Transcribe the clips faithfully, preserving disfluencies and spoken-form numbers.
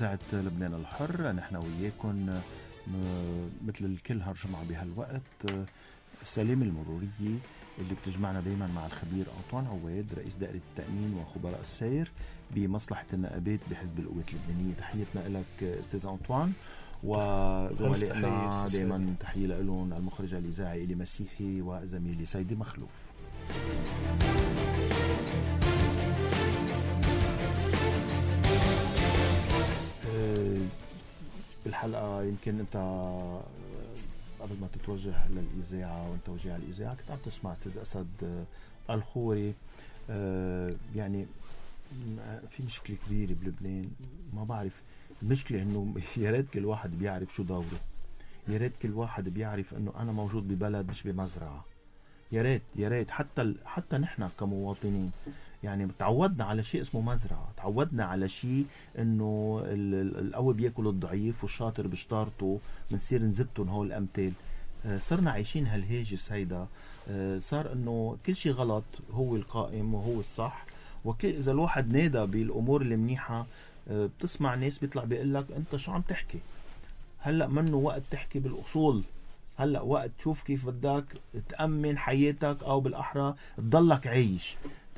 إذاعة لبنان الحر، نحن وياكم مثل الكل هالجمعة بهالوقت. سليم المرورية اللي بتجمعنا دايما مع الخبير أنطوان عواد رئيس دائرة التأمين وخبراء السير بمصلحة النقابات بحزب القوات اللبنانية. تحياتنا لك أستاذ أنطوان، وزملائنا دايما تحية لهم المخرج الإذاعي إلي مسيحي وزميلي سيدي مخلوف. بالحلقة يمكن أنت قبل ما تتوجه للإذاعة وأنت وجه على الإذاعة كنت عم تسمع أستاذ أسد الخوري. يعني في مشكلة كبيرة بلبنان، ما بعرف المشكلة إنه يا ريت كل واحد بيعرف شو دوره، يا ريت كل واحد بيعرف إنه أنا موجود ببلد مش بمزرعة. يا ريت يا ريت حتى ال... حتى نحن كمواطنين يعني تعودنا على شيء اسمه مزرعة، تعودنا على شيء إنه القوي بياكل الضعيف والشاطر بشطارته بنصير نزبطن هول الأمثال. صرنا عايشين هالهاجس هيدا، صار إنه كل شيء غلط هو القائم وهو الصح. وإذا الواحد نادى بالأمور اللي منيحة بتسمع ناس بيطلع بيقلك أنت شو عم تحكي، هلأ منه وقت تحكي بالأصول، هلأ وقت تشوف كيف بدك تأمن حياتك أو بالأحرى تضلك عايش.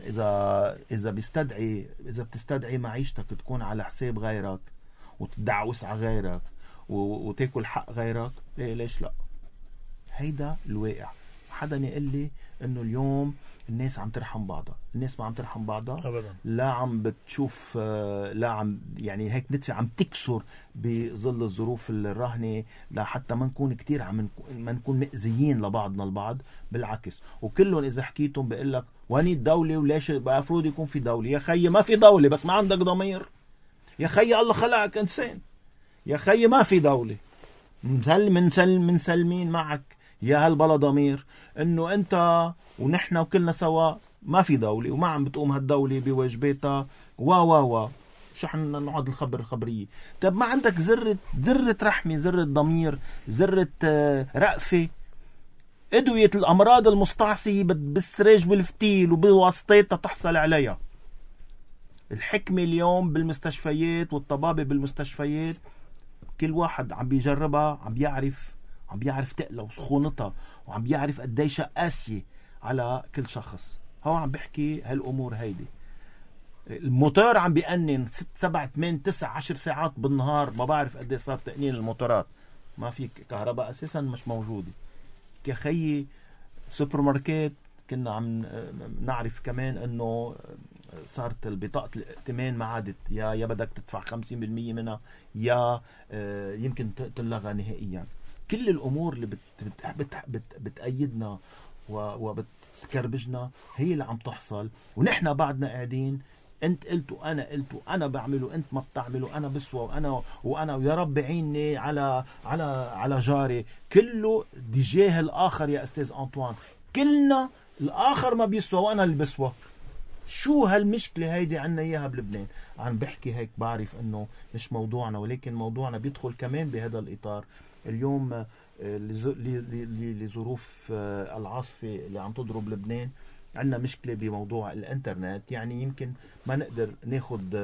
إذا إذا بيستدعي إذا بتستدعي معيشتك تكون على حساب غيرك وتدعوس على غيرك وتاكل حق غيرك، إيه ليش لا؟ هيدا الواقع. حدا يقول لي إنه اليوم الناس عم ترحم بعضها، الناس ما عم ترحم بعضها أبدا. لا عم بتشوف، لا عم يعني هيك ندفع عم تكسر بظل الظروف الراهنة لحتى ما نكون كتير عم ما نكون مأذيين لبعضنا البعض. بالعكس، وكلهم إذا حكيتهم بيقول لك واني الدولة وليش المفروض يكون في دولة. يا خي ما في دولة بس ما عندك ضمير. يا خي الله خلقك إنسان. يا خي ما في دولة من من سلمين معك يا هالبلا ضمير إنه أنت ونحن وكلنا سوا ما في دولة وما عم بتقوم هالدولة بواجباتها وا وا وا شو حنا نقعد الخبر الخبرية. طب ما عندك ذرة ذرة رحمة، ذرة ضمير، ذرة رأفة؟ أدوية الأمراض المستعصية بالسريج والفتيل وبواسطتها تحصل عليها. الحكمة اليوم بالمستشفيات والطبابة بالمستشفيات كل واحد عم بيجربها، عم بيعرف عم بيعرف تقلة وسخونتها، وعم بيعرف قديش قاسية على كل شخص. هو عم بحكي هالأمور هيدي. الموتور عم بيأنن ست سبع ثمان تسع عشر ساعات بالنهار، ما بعرف قديش صار تأنين الموتورات، ما في كهرباء أساسا مش موجودة. كخي سوبر ماركت كنا عم نعرف كمان انه صارت البطاقة الائتمان ما عادت، يا يا بدك تدفع خمسين بالمية منها يا يمكن تلغى نهائيا. كل الأمور اللي بت بت بت بتأيدنا وبتكربجنا هي اللي عم تحصل، ونحن بعدنا قاعدين انت قلت وانا قلت وانا بعمله انت ما بتعمله، انا بسوى وانا وانا ويا رب عيني على على على جاري. كله تجاه الاخر يا استاذ أنطوان، كلنا الاخر ما بيسوى وانا اللي بسوى. شو هالمشكلة هيدي عنا اياها بلبنان؟ عم بحكي هيك بعرف انه مش موضوعنا، ولكن موضوعنا بيدخل كمان بهذا الاطار. اليوم لظروف العاصفة اللي عم تضرب لبنان عندنا مشكلة بموضوع الانترنت. يعني يمكن ما نقدر ناخد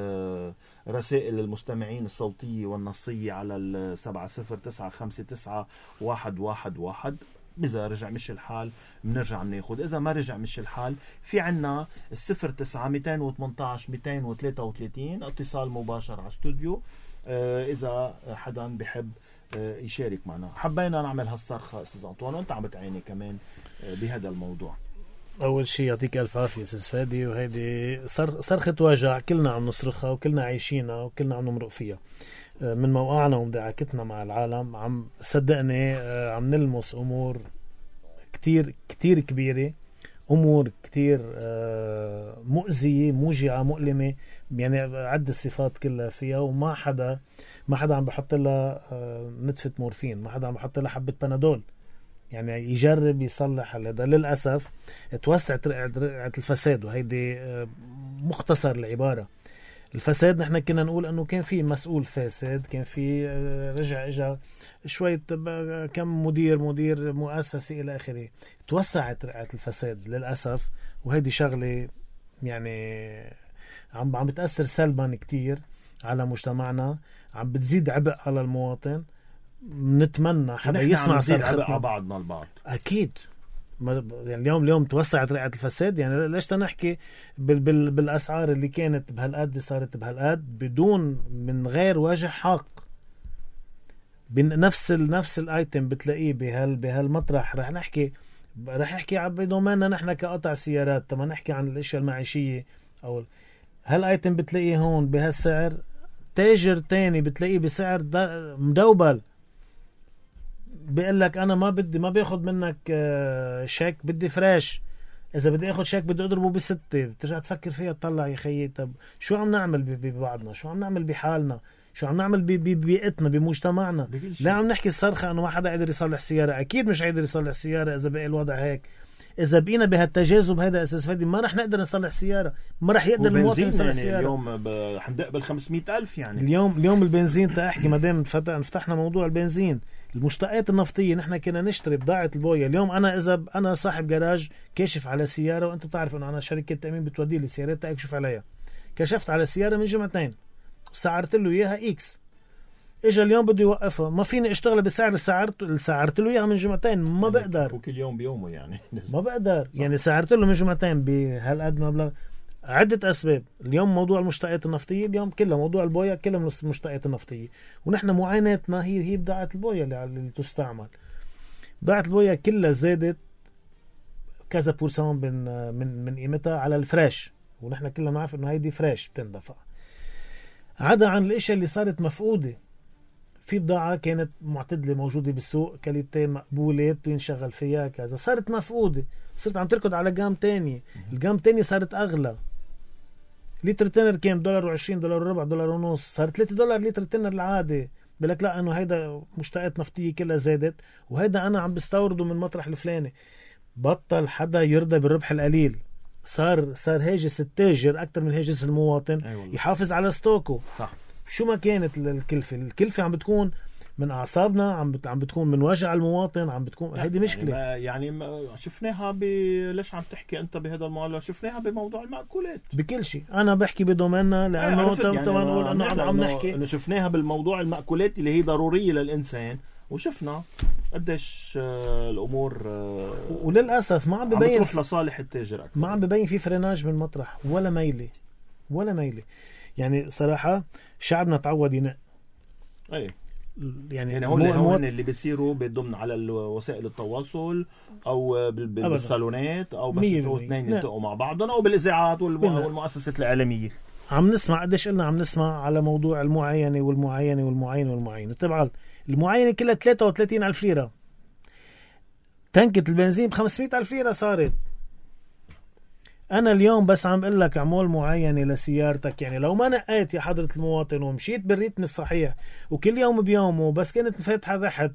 رسائل المستمعين الصوتية والنصية على السبعة صفر تسعة خمسة تسعة واحد واحد واحد. إذا رجع مش الحال بنرجع ناخد، إذا ما رجع مش الحال في عنا الصفر تسعة مئتين وثمانية عشر مئتين وثلاثة وثلاثين اتصال مباشر على استوديو. إذا حدا بحب يشارك معنا. حبينا نعمل هالصرخة أستاذ أنطوان وأنت عم بتعيني كمان بهذا الموضوع. أول شيء يعطيك ألف عافية أستاذ فادي، وهيدي صرخة وجع كلنا عم نصرخها وكلنا عايشينها وكلنا عم نمرق فيها من موقعنا ومدعكتنا مع العالم. عم صدقني عم نلمس أمور كتير كتير كبيرة، أمور كتير مؤذية موجعة مؤلمة، يعني عد الصفات كلها فيها. وما حدا ما حدا عم بحط لها نتفة مورفين، ما حدا عم بحط لها حبة بنادول يعني يجرب يصلح هذا. للأسف توسعت رقعة الفساد، وهيدي مختصر العبارة. الفساد نحن كنا نقول أنه كان في مسؤول فاسد، كان في رجع إجا شوية كم مدير مدير مؤسسي إلى آخره. توسعت رقعة الفساد للأسف، وهيدي شغلة يعني عم عم بتأثر سلبا كتير على مجتمعنا، عم بتزيد عبء على المواطن. نتمنى حدا يسمع صرختنا على بعضنا البعض. اكيد يعني اليوم اليوم توسعت رقعة الفساد. يعني ليش تنحكي بال بال بالاسعار اللي كانت بهالقد صارت بهالقد بدون من غير وجه حق. بنفس ال نفس الايتم بتلاقيه بهال بهالمطرح. رح نحكي رح نحكي بدوميننا نحن كقطع سيارات. طب نحكي عن الاشياء المعيشية او هالايتم بتلاقيه هون بهالسعر، تاجر تاني بتلاقيه بسعر مدوبل. بيقول لك انا ما بدي ما بياخد منك شيك، بدي فريش. اذا بدي اخد شيك بدي اضربه بستة. بترجع تفكر فيها تطلع يا خيي، طب شو عم نعمل ببعضنا؟ شو عم نعمل بحالنا؟ شو عم نعمل ببيئتنا بمجتمعنا؟ لا عم نحكي الصرخة انه ما حدا قادر يصلح سيارة. اكيد مش قادر يصلح سيارة اذا بقى الوضع هيك. اذا بقينا بهالتجاذب هذا اساس فادي ما رح نقدر نصلح سيارة، ما رح يقدر المواطن يصلح يعني سيارة. اليوم حندق بالخمسمية ألف. يعني اليوم اليوم البنزين تأحكي ما دام فتحنا موضوع البنزين، المشتقات النفطية نحن كنا نشتري بضاعة البوية. اليوم أنا إذا أنا صاحب جراج كاشف على سيارة، وأنت بتعرف إنه أنا شركة تأمين بتودي لي سيارات أكشف عليها، كشفت على سيارة من جمعتين سعرت له إياها إكس، إجا اليوم بده يوقفها، ما فيني أشتغل بالسعر اللي سعرت اللي سعرت له إياها من جمعتين. ما يعني بقدر وكل يوم بيومه يعني ما بقدر صح. يعني سعرت له من جمعتين بهالقد مبلغ. عدة أسباب. اليوم موضوع المشتقات النفطية، اليوم كلها موضوع البويا كلها من المشتقات النفطية، ونحن معاناتنا هي هي بضاعة البويا اللي, اللي تستعمل. بضاعة البويا كلها زادت كذا بورسون من من من قيمتها على الفريش، ونحن كلنا نعرف إنه هيدي فريش بتندفع. عدا عن الأشياء اللي صارت مفقودة. في بضاعة كانت معتدلة موجودة بالسوق، كاليتي مقبولة بتنشغل فيها كذا، صارت مفقودة، صرت عم تركض على جام تاني. الجام تاني صارت أغلى. لتر تنر كان دولار وعشرين، دولار وربع، دولار ونص، صار ثلاثة دولار لتر تنر العادي. بلك لا انه هيدا مشتقات نفطية كلها زادت، وهيدا انا عم بستورده من مطرح الفلاني. بطل حدا يرضى بالربح القليل. صار صار هاجس التاجر اكثر من هاجس المواطن. أيوة. يحافظ على ستوكه. صح. شو ما كانت الكلفة، الكلفة عم بتكون من اعصابنا، عم بت... عم بتكون من وجع المواطن، عم بتكون هيدي مشكله. يعني, يعني ما شفناها ب ليش عم تحكي انت بهذا الموضوع؟ شفناها بموضوع المأكولات بكل شيء. انا بحكي بدوميننا لانه طبعا يعني نقول انه عم, عم نحكي انه شفناها بالموضوع المأكولات اللي هي ضروريه للانسان، وشفنا قديش الامور وللاسف ما عم ببين عم لصالح التاجر أكثر. ما عم ببين في فرناج من مطرح ولا ميله ولا ميله. يعني صراحه شعبنا تعود ينق. اي يعني, يعني هون مو... هون اللي بيصيروا بيضمن على وسائل التواصل او بالصالونات او بس اثنين يلتقوا مع بعضهم او بالاذاعات والم... والمؤسسات الاعلاميه. عم نسمع قديش قلنا عم نسمع على موضوع المعاينه والمعاينه والمعاينه والمعاينه. طبعا المعاينه كلها ثلاثة وثلاثين ألف ليره. تنكة البنزين ب خمسمية ألف ليره صارت. أنا اليوم بس عم أقول لك عمول معينة لسيارتك. يعني لو ما نقيت يا حضرة المواطن ومشيت بالريتم الصحيح وكل يوم بيومه، بس كانت فاتحة تحت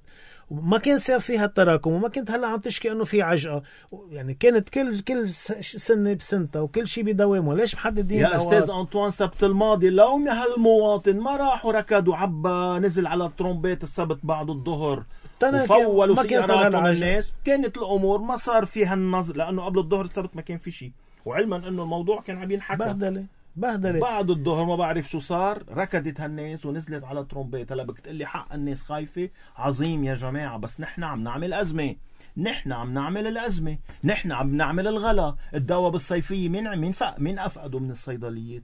وما كان صار فيها التراكم وما كنت هلا عم تشكي إنه في عجقة، يعني كانت كل كل سنة بسنتها وكل شيء بدوامه. ليش محددين يا أستاذ أنطوان؟ سبت الماضي لو هالمواطن ما راح وركض وعبى نزل على الترومبيت السبت بعد الظهر وفولوا سيارات على الناس، كانت الأمور ما صار فيها النظر، لأنه قبل الظهر السبت ما كان في شيء، وعلما انه الموضوع كان عم ينحكى بهدله بهدله. بعد الظهر ما بعرف شو صار، ركضت هالناس ونزلت على ترومبيت. هلا بدك تقول لي حق الناس خايفه؟ عظيم يا جماعه، بس نحن عم نعمل ازمه، نحن عم نعمل الازمه، نحن عم نعمل الغلا. الدواء بالصيفيه مين مين فق مين افقدوا من الصيدليات؟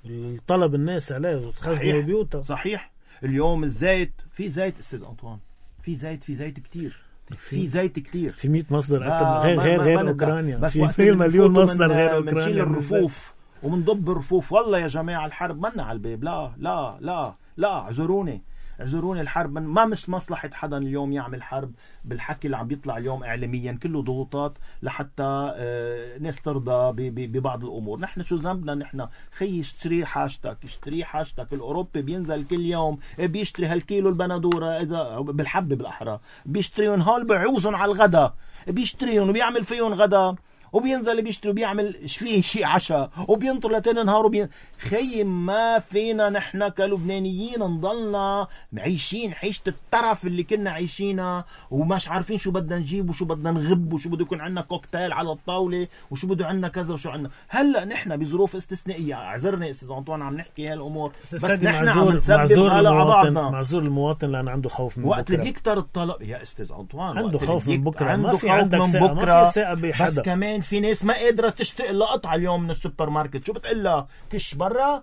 الطلب الناس عليه وتخزنوا بيوتها. صحيح. اليوم الزيت، في زيت استاذ انطوان، في زيت في زيت كتير، في زيت كتير، في مية مصدر غير غير غير اوكرانيا، في مليون مصدر غير اوكرانيا. بنشيل الرفوف ومنضب الرفوف. والله يا جماعه الحرب منا على الباب. لا لا لا لا اعذروني اعذروني الحرب ما مش مصلحه حدا اليوم يعمل حرب بالحكي اللي عم بيطلع اليوم اعلاميا، كله ضغوطات لحتى آه ناس ترضى ببعض الامور. نحن شو ذنبنا؟ نحن خي اشتري حاجتك، اشتري حاجتك. الاوروبي بينزل كل يوم بيشتري هالكيلو البندوره اذا بالحبه بالاحرى، بيشتريهم هول بعوزهم على الغداء، بيشتريهم وبيعمل فيهم غدا وبينزل بيشتري وبيعمل فيه شيء عشاء وبينطر لتاني نهار وبين... خي ما فينا نحن كلبنانيين نضلنا عايشين عيشة الترف اللي كنا عايشينها ومش عارفين شو بدنا نجيب وشو بدنا نغب وشو بده يكون عندنا كوكتيل على الطاولة وشو بده عندنا كذا وشو عندنا. هلا نحن بظروف استثنائية. اعذرني استاذ أنطوان عم نحكي هالامور بس نحن عم نسبب هلا على بعضنا. معذور المواطن لأنه عنده خوف من وقت اللي بيكتر الطلب يا استاذ أنطوان عنده خوف من بكره. عنده ما في خوف عندك من ثقة. بكره. ما في ثقة بحدا. بس كمان في ناس ما قادرة تشتاق لها قطعة اليوم من السوبر ماركت. شو بتقلها كش برا؟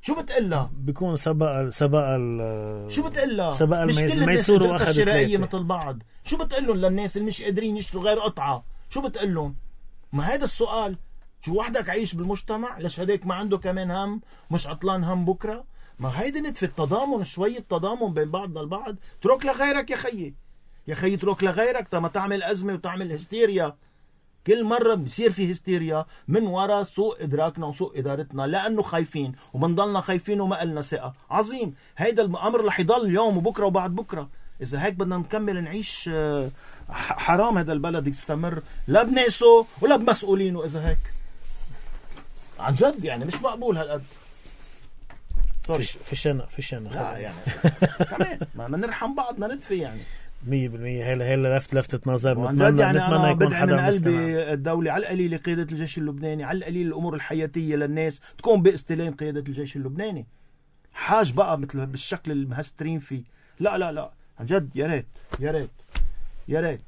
شو بتقلها؟ بيكون سبق سبق شو بتقلها؟ سبق الميسور واخذ الشرائية مثل بعض. شو بتقلهم للناس اللي مش قادرين يشتروا غير قطعة؟ شو بتقلهم؟ ما هذا السؤال. شو وحدك عايش بالمجتمع ليش هداك ما عنده كمان هم مش عطلان هم بكرة؟ ما هيدي نتفة تضامن شوية تضامن بين بعضنا البعض. ترك لغيرك يا خيي يا خيي ترك لغيرك تما تعمل أزمة وتعمل هستيريا. كل مرة بيصير في هستيريا من وراء سوء إدراكنا وسوء إدارتنا لأنه خايفين ومنضلنا خايفين وما قلنا ثقة. عظيم. هيدا الأمر رح يضل اليوم وبكرة وبعد بكرة. إذا هيك بدنا نكمل نعيش حرام هذا البلد يستمر لا بناسه ولا بمسؤولينه. إذا هيك عن جد يعني مش مقبول هالقد. فيش فيشنا فيشنا لا يعني كمان ما نرحم بعضنا ندفي يعني مية بالمية. هلا هلا لفت لفتة نظر. نتمنى يعني نتمنى يكون حدا من قلبي الدولة على القليل قيادة الجيش اللبناني على القليل الأمور الحياتية للناس تكون باستلام قيادة الجيش اللبناني. حاج بقى مثل بالشكل المهسترين فيه. لا لا لا عن جد يا ريت يا ريت يا ريت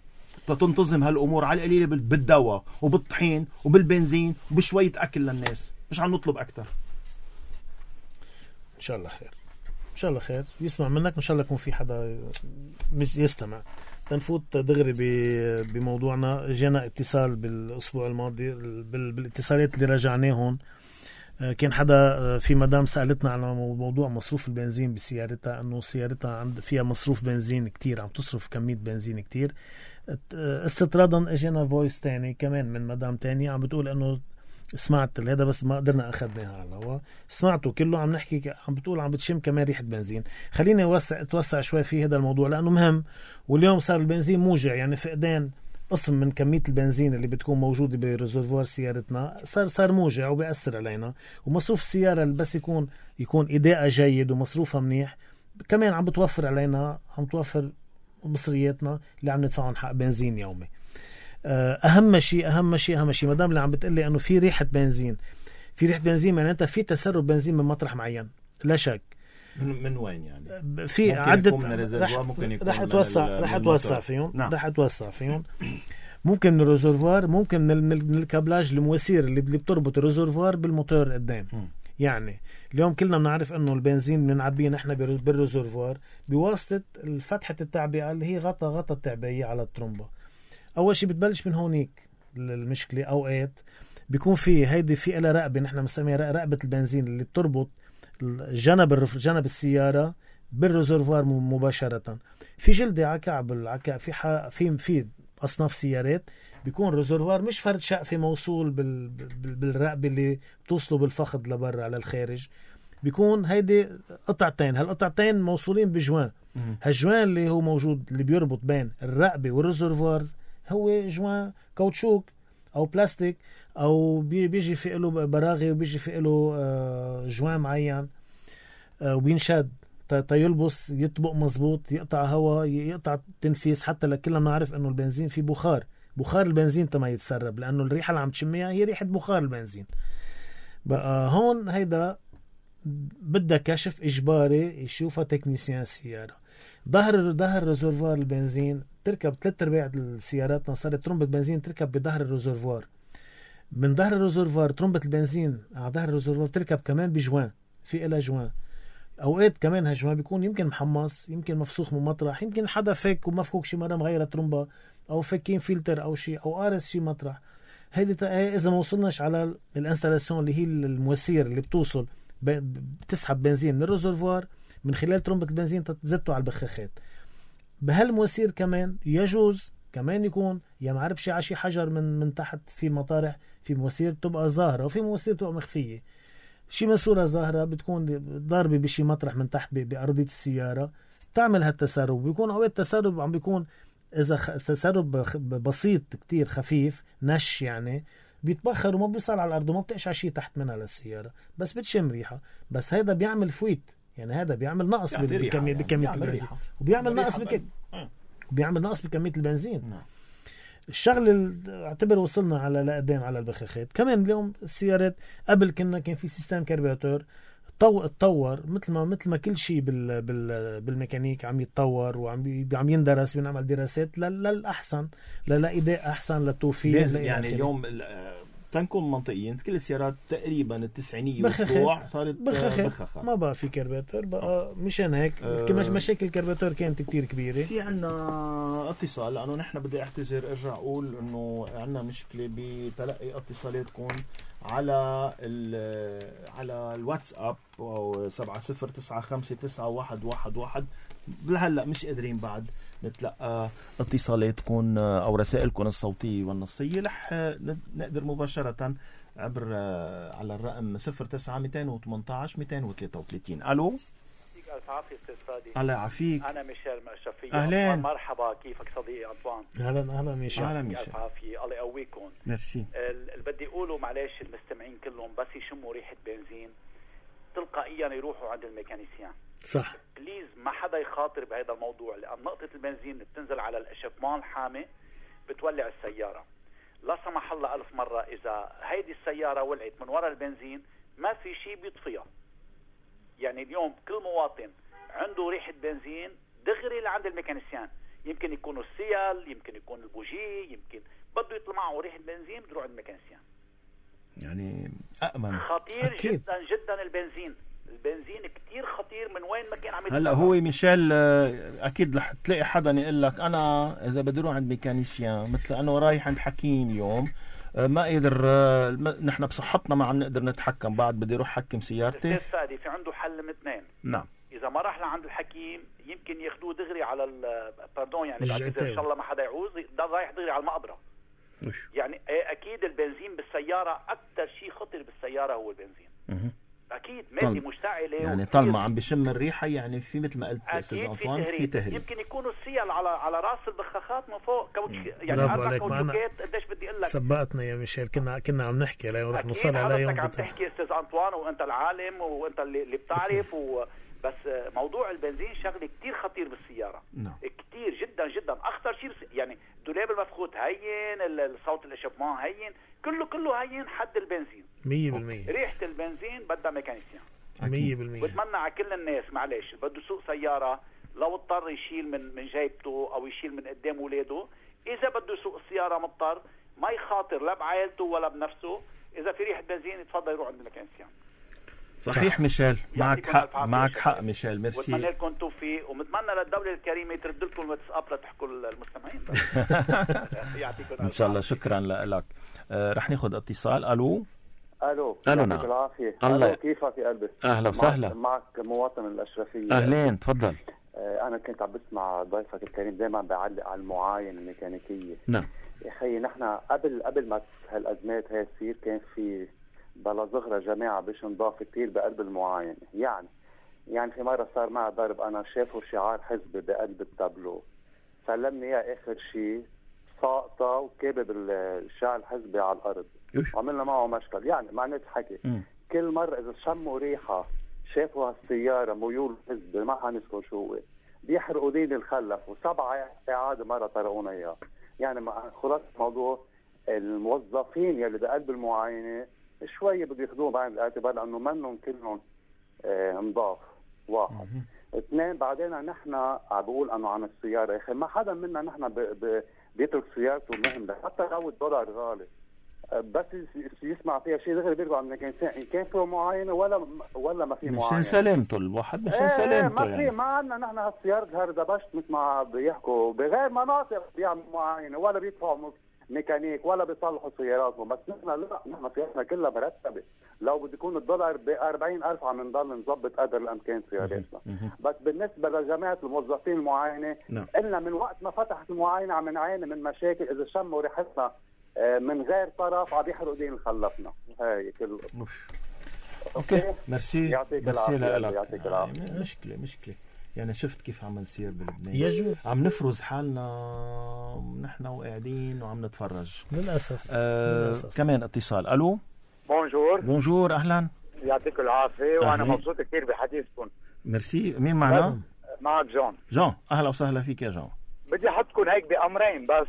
تنتظم هالأمور على القليل بالدواء وبالطحين وبالبنزين وبشوية أكل للناس. مش عم نطلب أكتر. إن شاء الله خير إن شاء الله خير يسمع منك. إن شاء الله يكون في حدا يستمع. تنفوت دغري بموضوعنا. جينا اتصال بالأسبوع الماضي بالاتصالات اللي رجعناهم. كان حدا في مدام سألتنا على موضوع مصروف البنزين بسيارتها أنه سيارتها عند فيها مصروف بنزين كتير عم تصرف كمية بنزين كتير. استطرادا اجينا فويس تاني كمان من مدام تاني عم بتقول أنه سمعت هذا بس ما قدرنا أخذناها على الهواء. سمعته كله عم نحكي عم بتقول عم بتشم كمان ريحة بنزين. خليني أوسع توسع شوي في هذا الموضوع لأنه مهم. واليوم صار البنزين موجع يعني فقدان قسم من كمية البنزين اللي بتكون موجودة بريزرفوار سيارتنا صار صار موجع وبيأثر علينا. ومصروف السيارة اللي بس يكون يكون إداء جيد ومصروفها منيح كمان عم بتوفر علينا عم توفر مصرياتنا اللي عم ندفعهم حق بنزين يومي. اهم شيء اهم شيء اهم شيء مدام اللي عم بتقلي انه في ريحه بنزين في ريحه بنزين معناتها في تسرب بنزين من مطرح معين لا شك. من, من وين يعني؟ في عده رح, ممكن يكون رح اتوسع رح اتوسع فيهم نعم. رح اتوسع فيهم ممكن من الريزرفوار ممكن من, من الكابلاج المواسير اللي بتربط الريزرفوار بالموتور قدام. يعني اليوم كلنا بنعرف انه البنزين بنعبيه نحن بالريزرفوار بواسطه فتحه التعبئه اللي هي غطا غطا التعبئه على الترمبه. اول شيء بتبلش من هونيك المشكله. اوقات بيكون في هيدي في لها رقبه نحن بنسميها رقبه البنزين اللي بتربط جنب جنب السياره بالريزرفوار مباشره. في جلده على كعب العكا في في في اصناف سيارات بيكون الريزرفوار مش فرد شقفه موصول بال بالرقبه اللي بتوصله بالفخذ لبرا على الخارج. بيكون هيدي قطعتين هالقطعتين موصولين بجوان. هالجوان اللي هو موجود اللي بيربط بين الرقبه والريزرفوار هو جوان كاوتشوك او بلاستيك او بيجي في له براغي وبيجي في له جوان معين وبينشد تيلبس يطبق مزبوط يقطع هواء يقطع تنفيس. حتى لكلنا نعرف انه البنزين فيه بخار بخار البنزين تما يتسرب لانه الريحه اللي عم تشميها هي ريحه بخار البنزين. بقى هون هيدا بدها كشف اجباري يشوفها تكنيسيان السياره. ظهر ظهر ريزرفوار البنزين تركب ثلاث ارباع السياراتنا صارت ترمبة بنزين تركب بظهر الريزرفوار. من ظهر الريزرفوار ترمبة البنزين على ظهر الريزرفوار تركب كمان بجوان في إلها جوان. اوقات كمان هالجوان بيكون يمكن محمص يمكن مفسوخ من مطرح يمكن حدا فك ومفكوك شي مره مغيره ترمبة او فكين فلتر او شيء او قارس شي مطرح. هيدي اذا ما وصلناش على الانستالاسيون اللي هي المواسير اللي بتوصل بتسحب بنزين من الريزرفوار من خلال ترمبة البنزين تزته على البخاخات. بهالمواسير كمان يجوز كمان يكون يا معرف شي عشي حجر من من تحت. في مطارح في مواسير بتبقى ظاهرة وفي مواسير بتبقى مخفية. شي ماسورة ظاهرة بتكون ضاربة بشي مطرح من تحت بأرضية السيارة تعمل هالتسرب. بيكون أوقات التسرب عم بيكون إذا تسرب بسيط كتير خفيف نش يعني بيتبخر وما بيصل على الأرض وما بتقشع شيء تحت منها للسيارة، بس بتشم ريحة. بس هذا بيعمل فويت، يعني هذا بيعمل نقص يعني بكمية يعني بكمية البنزين، وبيعمل نقص بك... وبيعمل نقص بكمية البنزين. نعم. الشغل اللي اعتبر وصلنا على لقدام على البخاخات كمان اليوم. السيارات قبل كنا كان في سيستم كربيراتور تطور مثل ما مثل ما كل شيء بال بال بالميكانيك عم يتطور وعم عم يندرس، بنعمل دراسات للأحسن للأداء أحسن للتوفير. يعني اليوم تنكون منطقيين كل السيارات تقريبا التسعينية والطلوع صارت بخاخات، ما بقى في كربيراتور بقى. مشان هيك أه مشاكل الكربيراتور كانت كتير كبيرة. في عنا اتصال، لأنه نحن بدي اعتذر ارجع اقول انه عنا مشكلة بتلقي اتصالاتكم على على الواتساب او سبعة صفر تسعة خمسة تسعة واحد واحد واحد. لهلا مش قادرين بعد نتلقى اتصالاتكم او رسائلكم الصوتية والنصية. رح نقدر مباشرة عبر على الرقم صفر تسعة مئتين وثمانية عشر مئتين وثلاثة وثلاثين. الو. يعطيك الف عافية استاذ فادي. الله يعافيك. انا ميشيل من الشرقية. اهلين. مرحبا، كيفك صديقي انطوان؟ اهلا اهلا ميشيل. اهلا ميشيل. الف عافية، الله يقويكم. ميرسي. اللي بدي اقوله معلش المستمعين كلهم بس يشموا ريحة بنزين تلقائيا يروحوا عند الميكانيسيان. صح. بليز ما حدا يخاطر بهذا الموضوع، لان نقطة البنزين بتنزل على الاشفمان الحامي بتولع السيارة. لا سمح الله ألف مرة إذا هيدي السيارة ولعت من وراء البنزين ما في شيء بيطفيها. يعني اليوم كل مواطن عنده ريحة بنزين دغري لعند الميكانيسيان. يمكن يكون السيال، يمكن يكون البوجي، يمكن بده يطلع معه ريحة بنزين بده يروح عند الميكانيسيان. يعني أأمن. خطير أكيد. جدا جدا البنزين. البنزين كتير خطير من وين ما كان عم يتفرق. هلا هو ميشيل اكيد رح تلاقي حدا يقول لك انا اذا بدي اروح عند ميكانيسيان مثل انا رايح عند حكيم اليوم ما قدر نحن بصحتنا ما عم نقدر نتحكم، بعد بدي اروح حكم سيارتي. استاذ فادي في عنده حل من اثنين. نعم. اذا ما راح لعند الحكيم يمكن ياخذوه دغري على باردون يعني بعد ان شاء الله ما حدا يعوز ده رايح دغري على المقبره. يعني اكيد البنزين بالسياره اكثر شيء خطر بالسياره هو البنزين. اها اكيد مادة مشتعله يعني طالما عم بشم الريحه يعني في مثل ما قلت استاذ انطوان في تهريب. يمكن يكونوا السيال على على راس البخاخات من فوق كوتش يعني اربع كوتشات. قديش بدي اقول لك سبقتنا يا ميشيل، كنا كنا عم نحكي عليه ورح نوصل على يوم عم تحكي استاذ انطوان وانت العالم وانت اللي, اللي بتعرف و... بس موضوع البنزين شغله كتير خطير بالسياره. نعم. كتير جدا جدا اخطر شيء بس... يعني الدولاب المفخوت هين، الصوت الاشبمان هين، كله كله هين حد البنزين مية بالمية. ريحه البنزين بدها ميكانيسيان مية بالمية. بتمنى على كل الناس معلش بده يسوق سيارة لو اضطر يشيل من من جيبته او يشيل من قدام اولاده، اذا بده يسوق السيارة مضطر ما يخاطر لا بعائلته ولا بنفسه. اذا في ريحة بنزين يتفضل يروح عند الميكانيسيان. صحيح ميشيل، معك حق معك حق ميشيل. ميرسي. واتمنى لكم توفيق ومتمنى للدولة الكريمة ترد لكم الواتساب لتحكوا المستمعين. يعطيكم ان شاء الله. شكرا لك. آه رح ناخذ اتصال. الو. الو. الو. نعم. بالعافيه. الله. كيفك يا قلبي؟ اهلا وسهلا. معك مواطن الاشرفيه. اهلين تفضل. آه انا كنت عم بسمع ضيفك الكريم دائما بعلق على المعاين الميكانيكيه. نعم يا اخي نحن قبل قبل ما هالازمات هاي تصير كان في بلا صغرى جماعه باش نضاف كثير بقلب المعاين. يعني يعني في مره صار معي ضرب انا شافوا شعار حزبي بقلب التابلو، سلمني اياه اخر شيء ساقطه وكابب الشعار الحزبي على الارض. عملنا معه مشكل. يعني معنات حكي م. كل مرة إذا شموا ريحة شافوا هالسيارة ميول حزب ما حنذكر شو هو بيحرقوا دين الخلف وسبعة إعادة مرة طرقونا إياه. يعني خلاص الموضوع الموظفين يلي بقلب المعاينة شوية بده ياخذوهم بعين الاعتبار لأنه منهم كلهم آه نضاف. واحد. م. اثنين بعدين نحن عم بقول أنه عن السيارة يا أخي ما حدا منا نحن بيترك سيارته مهم حتى لو الدولار غالي بس يسمع فيها شيء دغري بيرجع من الانسان ان كان فيه معاينه ولا ولا ما في معاينه. مشان سلامته الواحد مشان ايه سلامته ما يعني. في ما عندنا نحن هالسيارة هردبشت مثل ما بيحكوا بغير مناطق بيعملوا معاينه ولا بيدفعوا ميكانيك ولا بيصلحوا سياراتهم. بس نحن لا نحن سيارتنا كلها مرتبه. لو بده يكون الدولار ب أربعين ألف عم نضل نظبط قدر الامكان سياراتنا. بس بالنسبه لجماعه الموظفين المعاينه قلنا من وقت ما فتحت المعاينه عم نعاني من مشاكل. اذا شموا ريحتنا من غير طرف عم يحرقوا دين خلفنا. هاي كل اوكي ميرسي. يعطيك العافيه. يعطيك العافيه. مشكله مشكله يعني شفت كيف عم نصير بلبنان، يجوز عم نفرز حالنا نحن وقاعدين وعم نتفرج للأسف. آه للأسف. كمان اتصال. الو بونجور. بونجور اهلا. يعطيكم العافيه وانا أهلين. مبسوط كثير بحديثكم. ميرسي. مين معنا؟ معك جون. جون اهلا وسهلا فيك يا جون. بدي احطكم هيك بامرين بس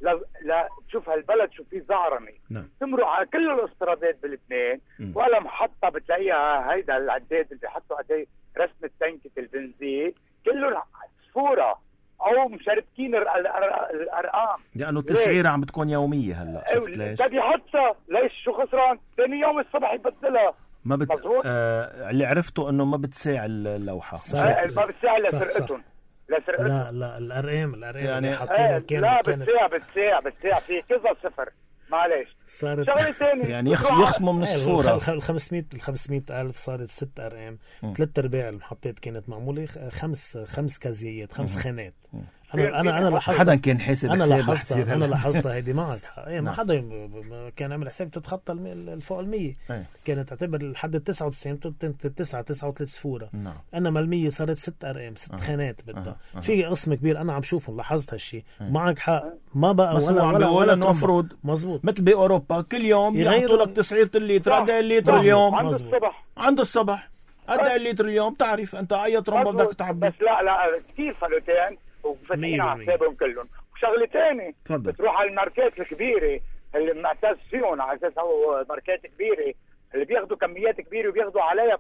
لا لا تشوف هالبلد شو فيه زعرنه. نعم. تمرق على كل الاسترادات بلبنان م. ولا محطه بتلاقيها هيدا العداد اللي بيحطوا عليه رسمه تنكه البنزين كله صفوره او مشاركين الارقام، لانه التسعيره عم بتكون يوميه هلا. شفت ليش؟ بدي يحطها ليش شو خسران؟ ثاني يوم الصبح يبدلها. ما بت... مظبوط. آه... اللي عرفته انه ما بتساع اللوحه. آه ما بتساعد صح، لسرقتهم لسرقتهم لا لا الارقام الارقام يعني- يعني حاطينها كانت لا كانت بتساع بتساع بتساع في كذا صفر معلش. صارت شغله ثانيه يعني يخ... يخصموا من الصوره. ال خمسمية ال خمسمية ألف صارت ست ارقام. م. ثلاث ارباع المحطات كانت معموله خمس خمس كازيات خمس م. خانات. م. انا انا انا لاحظت حدا كان حاسب انا حساب لاحظتها رح انا يصير لاحظتها هيدي معك حق. ايه ما نعم. حدا ب- ب- كان عامل حساب تتخطى الم- الفوق المية. إيه. كانت تعتبر لحد ال تسعة وتسعين تسعة تسعة وثلاثين صفوره. نعم. انا مالمية صارت ست ارقام ست أه. خانات بدها. أه. أه. في قسم كبير انا عم شوفهم لاحظت هالشيء. أه. معك حق ما بقى بس ولا هو عم ولا بيقول ولا انه ترمبة. مفروض مزبوط مثل باوروبا كل يوم يغيروا- يحطوا لك تسعيره الليتر. قد ايه الليتر مظبوط. اليوم؟ عند مزبوط. الصبح عند الصبح قد ايه الليتر اليوم؟ تعرف انت اي ترمبه بدك تعبي. بس لا لا كثير فلوتين وفتحين على مية حسابهم كلهم. وشغله ثانيه تفضل. بتروح على الماركات الكبيره اللي معتز فيهم على اساس هو ماركات كبيره اللي بياخذوا كميات كبيره وبياخذوا عليها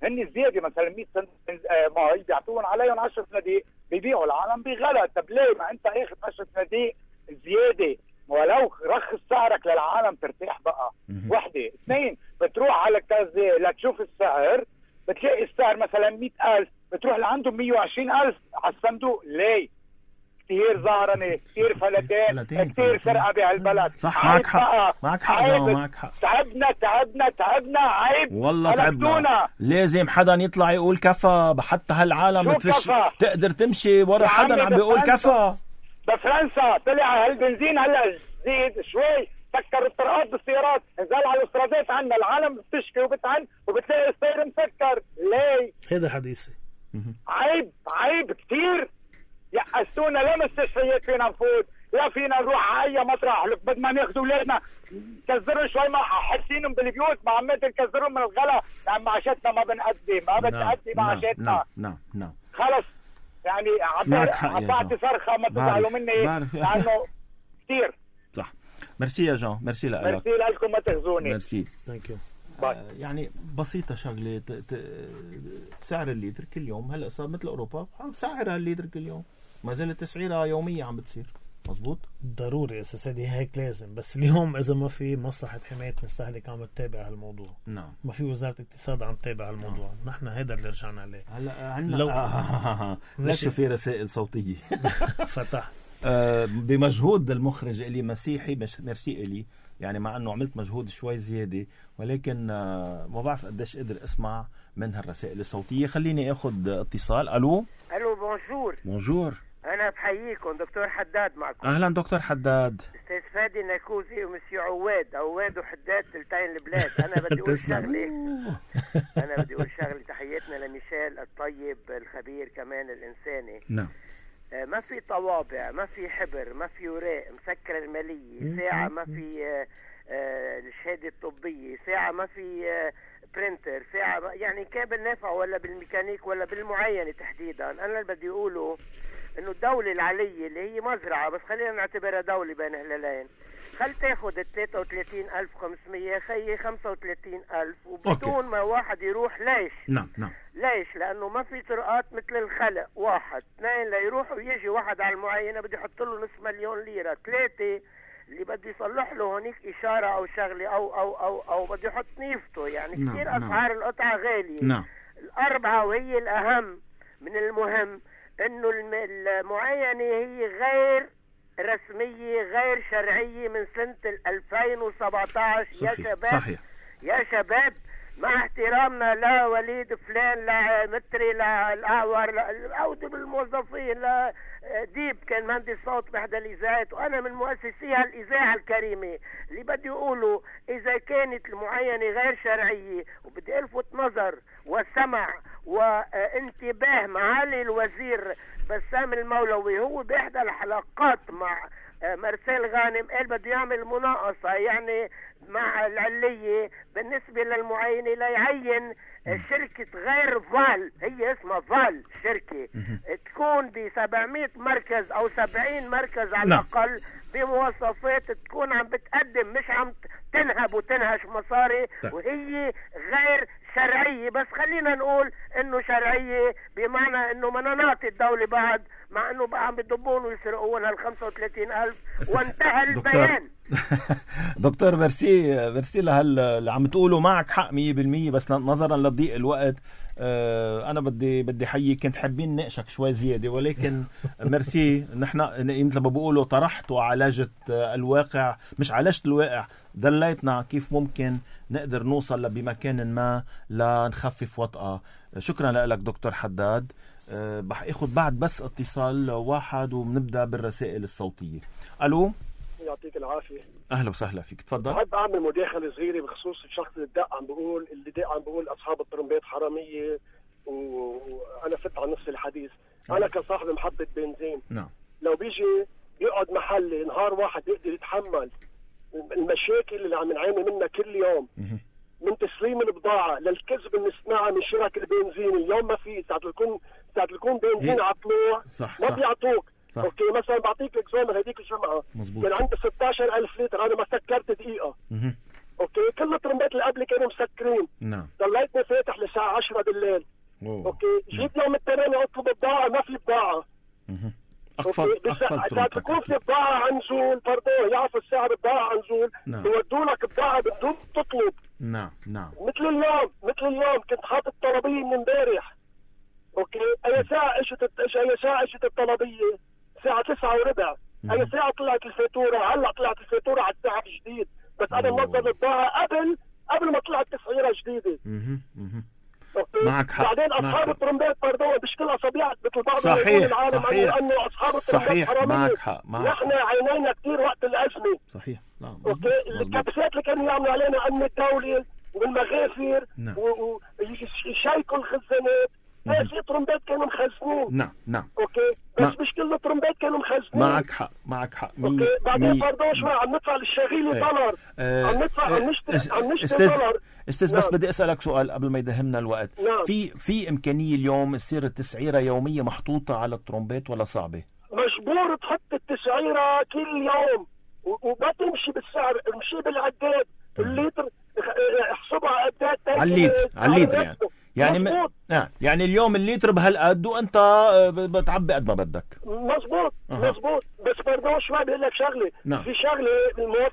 هن زياده مثلا مية سنت مي بيعطوهم عليهم عشر صناديق بيبيعوا العالم بغلا. طب ليه ما انت اخذ عشر صناديق زياده ولو رخص سعرك للعالم ترتاح بقى. مهم. وحده. اثنين بتروح على الكازي لتشوف السعر بتلاقي السعر مثلا مئة ألف بتروح لعندهم مية وعشرين ألف على الصندوق. ليه؟ كثير زهرنه كثير فلتين فلتين، كثير فلتين. سرقه بهالبلد. صح عيب معك حق بقى. معك حق عيب. جون معك حق تعبنا تعبنا تعبنا عيب والله هلكتونا. تعبنا. لازم حدا يطلع يقول كفى. حتى هالعالم شو بتفش كفى؟ تقدر تمشي ورا يا حدا عمي عم بيقول بفرنسا. كفى. بفرنسا طلع هالبنزين هلا زيد شوي سكر الطرقات بالسيارات نزل على الاسترادات عنا العالم بتشكي وبتعن وبتلاقي السير مسكر. ليه؟ هيدا حديثي. عيب عيب كثير. يأسونا لا مستشفيات فينا نفوت لا فينا نروح على اي مطرح. لك بدنا ما ناخذ اولادنا نكزرهم شوي ما حاسينهم بالبيوت ما عم نكزرهم من الغلا لان معاشاتنا ما بنقدم ما بتأدي معاشاتنا. نعم نعم نعم خلص يعني معك حق يا عطعتي جون. صرخه ما بعرف- تزعلوا مني بعرف. لانه كثير. صح. ميرسي يا جون. ميرسي لك. ميرسي لكم ما تخزوني. ميرسي. ثانك يو. باي. آه، يعني بسيطة شغلة ت... ت... سعر الليتر كل يوم هلا صار مثل أوروبا سعر هالليتر كل يوم ما زالت تسعيرها يومية عم بتصير. مزبوط. ضروري اساسا دي هيك لازم. بس اليوم اذا ما في مصلحه حمايه مستهلك عم تتابع هالموضوع نعم. ما في وزاره اقتصاد عم تتابع هالموضوع. نحن هيدا اللي رجعنا عليه. هلا عندنا لو- آه ليش في رسائل صوتية فتح آه بمجهود المخرج إلي مسيحي مش ميرسي إلي يعني مع انه عملت مجهود شوي زيادة ولكن آه ما بعرف قديش قدر اسمع من هالرسائل الصوتية. خليني اخذ اتصال. الو الو بونجور. بونجور. انا بحييكم دكتور حداد معكم. اهلا دكتور حداد. استاذ فادي ناكوزي ومسيو عواد عواد وحداد تلتين البلاد. انا بدي اقول شغله انا بدي اقول شغله تحياتنا لميشيل الطيب الخبير كمان الانساني. نعم. آه، ما في طوابع ما في حبر ما في وراق مسكره الماليه ساعه ما في آه، آه، الشهاده الطبيه ساعه ما في آه، برينتر ساعه ما يعني كابل نافع ولا بالميكانيك ولا بالمعينه تحديدا. انا اللي بدي اقوله انه الدولة العلية اللي هي مزرعة بس خلينا نعتبرها دولة بين هلالين خل تاخد ال ثلاثة وثلاثين ألف وخمسمية خيي خمسة وثلاثين ألف وبدون أوكي. ما واحد يروح. ليش؟ نعم نعم. ليش؟ لأنه ما في طرقات مثل الخلق. واحد اثنين ليروح ويجي واحد على المعينة بده يحط له نصف مليون ليرة. ثلاثة اللي بده يصلح له هونيك إشارة أو شغلة أو أو أو أو بده يحط نيفته. يعني نعم، كثير نعم. أسعار القطعة غالية. نعم. الأربعة وهي الأهم من المهم انه الم- المعاينة هي غير رسمية غير شرعية من سنة ألفين وسبعة عشر. يا صحيح. شباب صحيح. يا شباب مع احترامنا لا وليد فلان لا متري لا الاعور لا العودة بالموظفين لا ديب كان مهندس صوت بإحدى الإذاعات وأنا من مؤسسي هالإذاعة الكريمة. اللي بدي أقوله إذا كانت المعاينة غير شرعية وبدي ألفت نظر والسمع وانتباه معالي الوزير بسام المولوي هو بإحدى الحلقات مع مرسال غانم قال بده يعمل مناقصة يعني مع العلية بالنسبة للمعاينة ليعين شركة غير فال، هي اسمها فال شركة تكون ب سبعمية مركز او سبعين مركز على الاقل بمواصفات تكون عم بتقدم مش عم تنهب وتنهش مصاري وهي غير شرعية. بس خلينا نقول انه شرعية بمعنى انه ما نعطي الدولة بعد، مع انه بقى عم بيضبون ويسرقون هال خمسة وثلاثين ألف وانتهى البيان. دكتور ميرسي ميرسي لهال اللي عم تقوله، معك حق مية بالمية، بس نظرا لضيق الوقت آه انا بدي بدي حيي كنت حابين نقشك شوي زياده، ولكن ميرسي نحن مثل ما بقولوا طرحت وعالجت الواقع، مش عالجت الواقع، دليتنا كيف ممكن نقدر نوصل بمكان ما لنخفف وطأة. شكرا لك دكتور حداد. أه بح اخذ بعد بس اتصال واحد وبنبدا بالرسائل الصوتيه. الو، يعطيك العافيه. اهلا وسهلا فيك، تفضل. بحب اعمل مداخله صغيره بخصوص الشخص اللي دق عم بقول اللي دق عم بقول اصحاب الطرمبات حراميه، وانا فت على نص الحديث. أه. انا كصاحب محطه بنزين نعم لو بيجي يقعد محلي نهار واحد يقدر يتحمل المشاكل اللي عم نعاني منها كل يوم، من تسليم البضاعه للكذب اللي نسمعها من شرك البنزين. اليوم ما في ساعه يكون ساعه يكون بنزين على طلوع ما بيعطوك. صح. اوكي مثلا بعطيك اكزامبل، هذيك الجمعه كان عندي ستة عشر ألف لتر انا ما سكرت دقيقه. مه. اوكي كل الطرمبات اللي قبلي كانوا مسكرين. نعم ضليتني فاتح للساعه عشرة بالليل. أوه. اوكي جيت يوم الثاني اطلب بضاعه ما في بضاعه. مه. أقفل أقفل ساعة تكون في بضاعة عن نزول برضه يعرفوا السعر بضاعة عن نزول. نعم. بيودوا لك بضاعة بدون تطلب. نعم نعم مثل اليوم مثل اليوم كنت حاطط طلبية من امبارح. اوكي اي ساعة اجت اي ساعة اجت الطلبية؟ الساعة تسعة وربع. اي ساعة طلعت الفاتورة؟ هلا طلعت الفاتورة على الساعة الجديد، بس انا منظم البضاعة قبل قبل ما طلعت تسعيرة جديدة. اها اها معك حق. بعدين اصحاب الطرمبات برضه مش كل اصابيع مثل بعض صحيح العالم صحيح انه اصحاب الطرمبات حرامية. معك حق معك نحن عينينا كثير وقت الازمه. صحيح. نعم اوكي الكبسات اللي كانوا يعملوا علينا امن الدولي والمغافر نعم. ويشيكوا الخزانات. ايه في طرمبات كانوا مخزنين. نعم نعم اوكي بس مع... مش كل الطرمبات كانوا مخزنين. معك حق معك حق. مي... اوكي بعدين مي... برضه شوي عم ندفع للشغيل ايه. دولار. اه. عم ندفع اه. عم نشتري اه. عم نشتري استاذ دولار. استاذ بس نعم. بدي اسالك سؤال قبل ما يدهمنا الوقت. نعم. في في امكانيه اليوم تصير التسعيره يوميه محطوطه على الطرمبات ولا صعبه؟ مجبور تحط التسعيره كل يوم وما تمشي بالسعر، امشي بالعداد. الليتر احسبها قد ايه على الليتر على الليتر يعني يعني م... يعني اليوم الليتر بهالقد وانت بتعبي قد ما بدك. مزبوط أه. مزبوط. بس برضه شوي بقول لك شغله. نعم. في شغله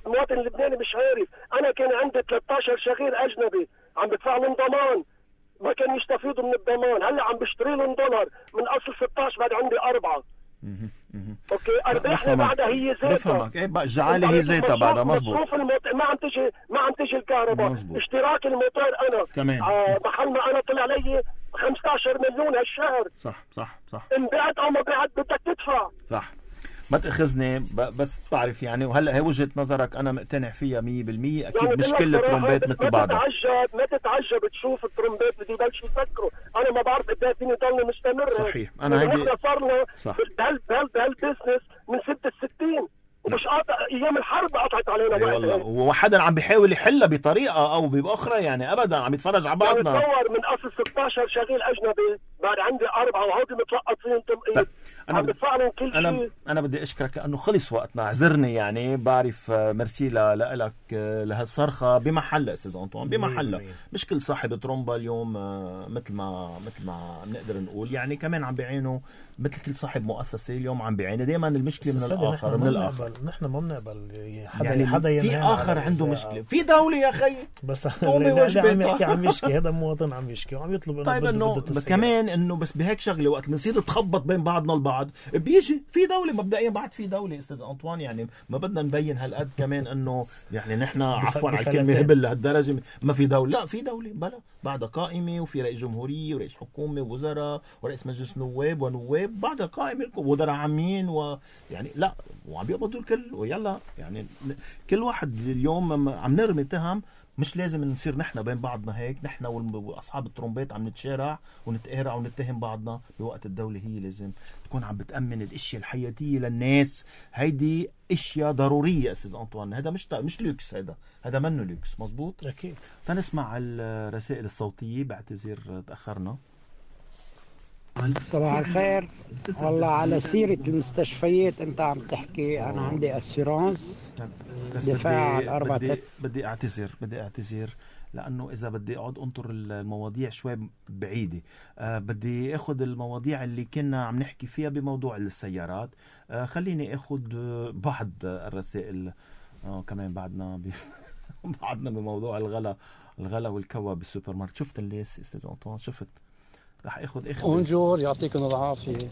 المواطن اللبناني مش عارف. انا كان عندي ثلاثة عشر شغيل اجنبي عم بدفع لهم ضمان، ما كانوا يستفيدوا من الضمان. هلا عم بشتري لهم دولار من اصل ستة عشر بعد عندي أربعة. اوكي ارباحنا بعدها هي زيتها. بفهمك. ايه بقى الجعاله هي زيتها بعدها. مزبوط. مصروف الموت... ما عم تجي ما عم تجي الكهرباء. مزبوط. اشتراك الموتور انا كمان آه محل ما انا طلع لي خمسة عشر مليون هالشهر. صح صح صح. ان بعت او ما بعت بدك تدفع. صح. ما تاخذني بس تعرف يعني، وهلا هي وجهه نظرك انا مقتنع فيها مية بالمية. اكيد يعني مش كل الطرمبات مثل بعضها. ما تتعجب ما تتعجب تشوف الطرمبات اللي يبلشوا يفكروا. انا ما بعرف قد ايه فيني ضلني مستمر. صحيح. انا هيدي احنا صار لنا بهالبزنس من ستة وستين ومش قاطع ايام الحرب قطعت علينا. اي والله. وحدا عم بيحاول يحلها بطريقه او باخرى يعني ابدا عم يتفرج على بعضنا. يعني تصور من اصل ستة عشر شغيل اجنبي بعد عندي اربعه وهودي متلقط فيهم تمقيت. عم بدفع لهم كل شيء. انا انا بدي اشكرك لانه خلص وقتنا، اعذرني يعني. بعرف ميرسي لك لهالصرخه بمحلها استاذ انطوان، بمحلها. مش كل صاحب ترومبا اليوم مثل ما مثل ما بنقدر نقول يعني، كمان عم بيعينوا مثل كل صاحب مؤسسه اليوم عم بيعاني. دائما المشكله من الاخر من الاخر. نحن ما بنقبل حدا يعني حدا في اخر عنده مشكله في دوله يا اخي. بس اللي عم يحكي عم يشكي هذا مواطن عم يشكي وعم يطلب انه طيب انه كمان انه بس بهيك شغله وقت بنصير نتخبط بين بعضنا البعض بيجي في دوله مبدئيا بعد في دوله استاذ انطوان يعني. ما بدنا نبين هالقد كمان انه يعني نحن عفوا على الكلمه هبل لهالدرجه ما في دوله. لا في دوله بلا بعدها قائمه وفي رئيس جمهوريه ورئيس حكومه ووزراء ورئيس مجلس نواب ونواب بعدها قائمه وزراء عامين ويعني لا وعم بيقبضوا الكل ويلا يعني كل واحد اليوم عم نرمي تهم مش لازم نصير نحن بين بعضنا هيك، نحن واصحاب الترومبات عم نتشارع ونتقارع ونتهم بعضنا، بوقت الدولة هي لازم تكون عم بتأمن الاشياء الحياتية للناس. هيدي اشياء ضرورية استاذ انطوان، هذا مش مش لوكس، هذا هذا منه لوكس. مزبوط. اكيد. تنسمع الرسائل الصوتية، بعتذر تأخرنا. صباح الخير. والله على سيرة المستشفيات انت عم تحكي، انا عندي اسيرانس دفاع على الاربعة. بدي, بدي اعتذر بدي اعتذر لانه اذا بدي اقعد انطر المواضيع شوي بعيدة، أه بدي اخذ المواضيع اللي كنا عم نحكي فيها بموضوع السيارات. أه خليني اخذ بعض الرسائل. أه كمان بعدنا ب... بعدنا بموضوع الغلا الغلا والكوا بالسوبر ماركت. شفت الليس استاذ انطوان؟ شفت؟ رح اخذ اخذ بونجور، يعطيكم العافيه.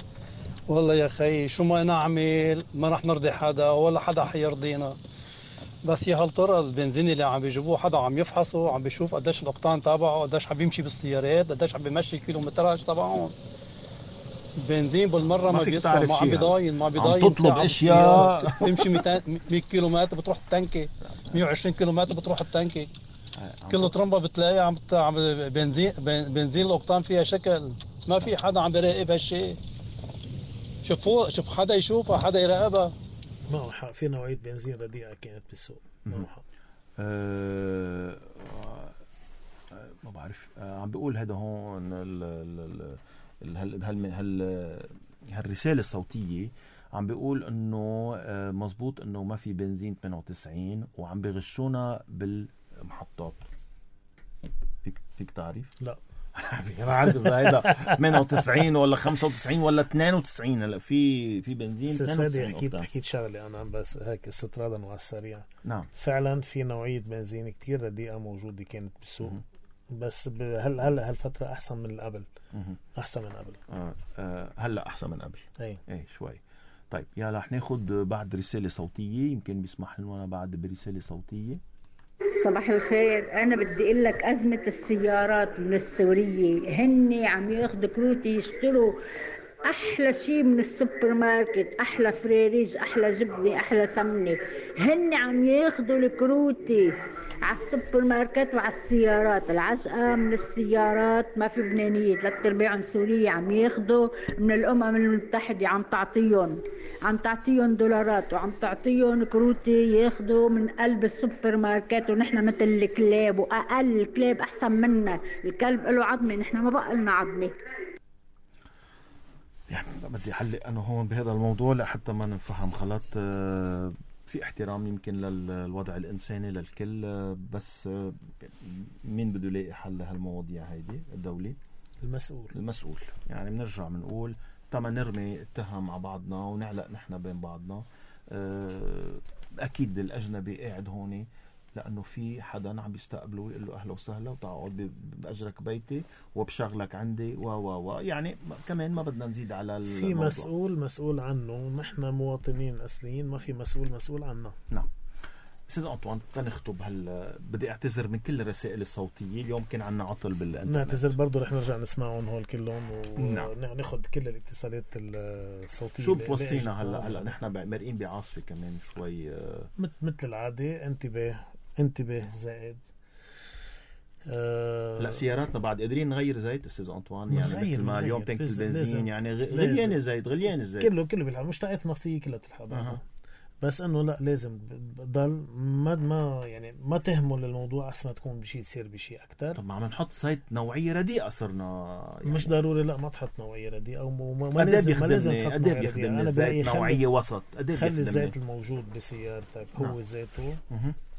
والله يا خي شو ما نعمل ما رح نرضي حدا ولا حدا حيرضينا، بس يا هالطرق البنزين اللي عم بيجيبوه حدا عم يفحصه، عم بيشوف قديش الاقطان تبعه، قديش عم بيمشي بالسيارات، قديش عم بيمشي كيلومتراج تبعهم. البنزين بالمره ما, ما بيسوى، ما عم بيضاين ما بيضاين عم تطلب اشياء تمشي مية كيلومتر بتروح التنكه، مية وعشرين كيلومتر بتروح التنكه. كل ترمبة بتلاقيها عم عم بنزين بنزين الاقطان فيها شكل، ما في حدا عم بيراقب هالشيء. شوفوا شوف حدا يشوفها، حدا يراقبها. ما هو حق في نوعية بنزين رديئة كانت بالسوق. ما هو حق. أه ما بعرف. أه عم بيقول هذا هون ال ال هال هال هال هالرسالة الصوتية عم بيقول انه أه مزبوط انه ما في بنزين ثمانية وتسعين وعم بيغشونا بال محطات. فيك فيك تعرف؟ لا انا عارف اذا هيدا ثمانية وتسعين ولا خمسة وتسعين ولا اثنين وتسعين. هلا في في بنزين اثنين وتسعين. اكيد حكيت شغله انا بس هيك استطرادا وعلى السريع. نعم فعلا في نوعيه بنزين كتير رديئه موجوده كانت بالسوق، بس هل هلا هالفتره احسن من قبل. احسن من قبل. آه آه هلا احسن من قبل. اي اي شوي. طيب يا رح ناخذ بعد رساله صوتيه، يمكن بيسمح لنا بعد برساله صوتيه. صباح الخير. أنا بدي أقول لك أزمة السيارات من السورية، هني عم ياخدوا كروتي يشتروا أحلى شيء من السوبر ماركت، أحلى فريريج، أحلى جبنة، أحلى سمنة، هني عم ياخدوا الكروتي على السوبر ماركت وعلى السيارات. العجقة من السيارات ما في بنانية، ثلاث أرباع سورية عم ياخدوا من الأمم المتحدة، عم تعطيهم عم تعطيهم دولارات وعم تعطيهم كروتي ياخدوا من قلب السوبر ماركت، ونحن مثل الكلاب، وأقل الكلاب أحسن منا، الكلب له عظمة نحن ما بقى لنا عظمة. يعني بدي أحلق أنا هون بهذا الموضوع لحتى ما نفهم غلط. في احترام يمكن للوضع الإنساني للكل، بس مين بده يلاقي حل لهالمواضيع هيدي؟ الدولة المسؤول المسؤول يعني بنرجع بنقول تما نرمي اتهم على بعضنا ونعلق نحن بين بعضنا. أكيد الأجنبي قاعد هوني لأنه في حدا عم بيستقبله ويقول له أهلا وسهلا وتقعد بأجرك بيتي وبشغلك عندي و و و يعني كمان ما بدنا نزيد على الموضوع. في مسؤول مسؤول عنه، نحن مواطنين أصليين، ما في مسؤول مسؤول عنا. نعم. أستاذ أنطوان تنخطب هل بدي أعتذر من كل الرسائل الصوتية، اليوم كان عنا عطل بالإنترنت. نعتذر برضو، رح نرجع نسمعهم هول كلهم وناخذ كل الاتصالات الصوتية. شو بوصينا هلا هلا نحن مرقين بعاصفة كمان شوي مثل العادة. انتبه انتبه زائد. أه لا سياراتنا بعد قادرين نغير زيت استاذ انطوان، يعني مثل ما اليوم تنك البنزين يعني غليان الزيت غليان الزيت كله كله بالحال، مش تاعت نفطيه كلها بتلحق أه. بس انه لا لازم ضل ما ما يعني ما تهمل الموضوع احسن ما تكون بشيء تصير بشيء اكثر. طب ما عم نحط زيت نوعيه رديئه صرنا يعني. مش ضروري لا ما تحط نوعيه رديئه او ما, ما لازم ما لازم تحط نوعيه رديئه. انا زيت نوعيه وسط. خلي الزيت الموجود بسيارتك هو نعم. زيته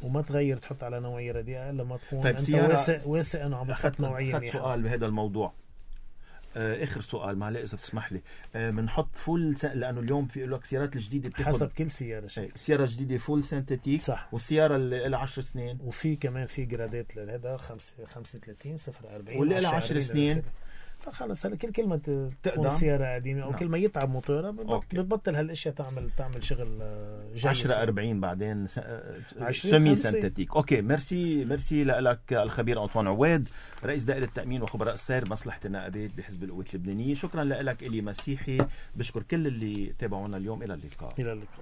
وما تغير تحط على نوعيه رديئه الا ما تكون طيب انت واثق واثق انه عم تحط نوعيه منيحه. سؤال بهذا الموضوع آه اخر سؤال معلش اذا بتسمح لي، بنحط آه فول سن... لانه اليوم في لك سيارات الجديده بتاخد حسب كل سياره شكل. سياره جديده فول سينثيتيك صح، والسياره اللي لها عشر سنين، وفي كمان في جرادات لهذا خمسة خمسة وثلاثين صفر أربعين واللي لها عشر سنين. لا خلص هلا كل كلمه تكون سياره قديمه او نعم. كل ما يتعب موتورها بتبطل هالاشياء تعمل تعمل شغل جيد. عشرة أربعين بعدين سمي سنتيك. اوكي ميرسي ميرسي لك الخبير أنطوان عواد رئيس دائره التامين وخبراء السير مصلحه النقابات بحزب القوات اللبنانيه. شكرا لك الي مسيحي، بشكر كل اللي تابعونا اليوم. الى اللقاء. الى اللقاء.